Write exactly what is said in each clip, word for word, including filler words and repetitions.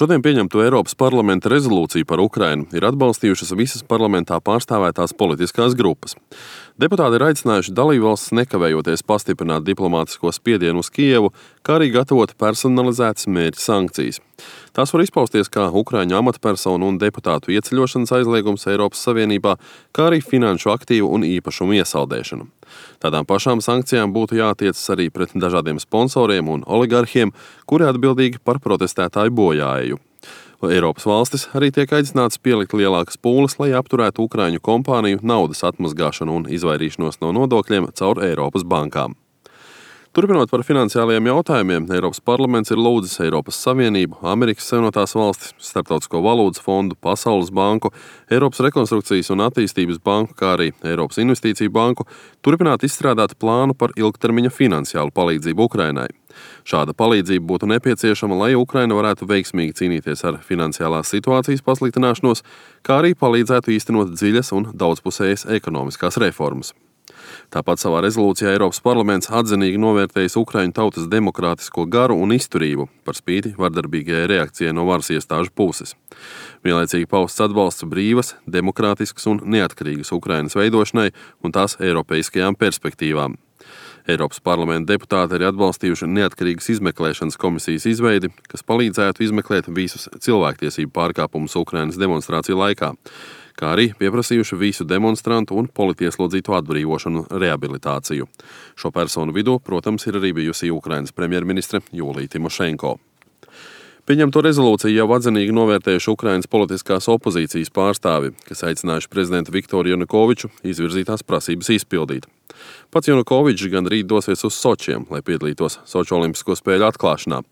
Šodien pieņemto Eiropas parlamenta rezolūciju par Ukrainu ir atbalstījušas visas parlamentā pārstāvētās politiskās grupas. Deputāti ir aicinājuši dalībvalstis nekavējoties pastiprināt diplomātisko spiedienu uz Kijevu, kā arī gatavot personalizētas mērķa sankcijas. Tās var izpausties kā ukraiņu amatpersonu un deputātu ieceļošanas aizliegums Eiropas Savienībā, kā arī finanšu aktīvu un īpašumu iesaldēšanu. Tādām pašām sankcijām būtu jātiecas arī pret dažādiem sponsoriem un oligarhiem, kuri atbildīgi par protestētāju bojāeju. Eiropas valstis arī tiek aicināts pielikt lielākas pūles, lai apturētu ukraiņu kompāniju naudas atmazgāšanu un izvairīšanos no nodokļiem caur Eiropas bankām. Turpinot par finansiālajiem jautājumiem, Eiropas parlaments ir lūdzis Eiropas Savienību, Amerikas Savienotās valstis, Starptautisko valūtas fondu, Pasaules banku, Eiropas rekonstrukcijas un attīstības banku, kā arī Eiropas investīciju banku turpināt izstrādāt plānu par ilgtermiņa finansiālu palīdzību Ukrainai. Šāda palīdzība būtu nepieciešama, lai Ukraina varētu veiksmīgi cīnīties ar finansiālās situācijas pasliktināšanos, kā arī palīdzētu īstenot dziļas un daudzpusējas ekonomiskās reformas. Tāpat savā rezolūcijā Eiropas parlaments atzinīgi novērtējis Ukraiņu tautas demokrātisko garu un izturību par spīti vardarbīgajai reakcijai no varas iestāžu puses. Vienlaicīgi pausts atbalsts brīvas, demokrātiskas un neatkarīgas Ukrainas veidošanai un tās eiropeiskajām perspektīvām. Eiropas parlamenta deputāti arī atbalstījuši neatkarīgas izmeklēšanas komisijas izveidi, kas palīdzētu izmeklēt visus cilvēktiesību pārkāpumus Ukrainas demonstrāciju laikā, kā arī pieprasījuši visu demonstrantu un politieslodzītu atbrīvošanu rehabilitāciju. Šo personu vidū, protams, ir arī bijusi Ukrainas premjerministre Jūlija Timošenko. Pieņemto rezolūciju jau atzinīgi novērtējuši Ukrainas politiskās opozīcijas pārstāvi, kas aicinājuši prezidentu Viktoru Janukoviču izvirzītās prasības izpildīt. Pats Janukovičs gan rīt dosies uz Sočiem, lai piedalītos Soču olimpisko spēļu atklāšanā.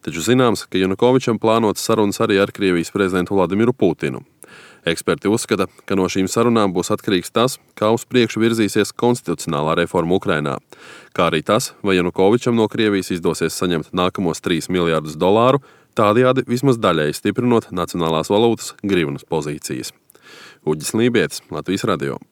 Taču zināms, ka Janukovičam plānotas sarunas arī ar Krievijas prezidentu Vladimiru Putinu. Eksperti uzskata, ka no šīm sarunām būs atkarīgs tas, kā uz priekšu virzīsies konstitucionālā reforma Ukrainā, kā arī tas, vai Janukovičam no Krievijas izdosies saņemt nākamos trīs miljardus dolāru, tādējādi vismaz daļēji stiprinot nacionālās valūtas grivnas pozīcijas. Uģis Lībietis, Latvijas radio.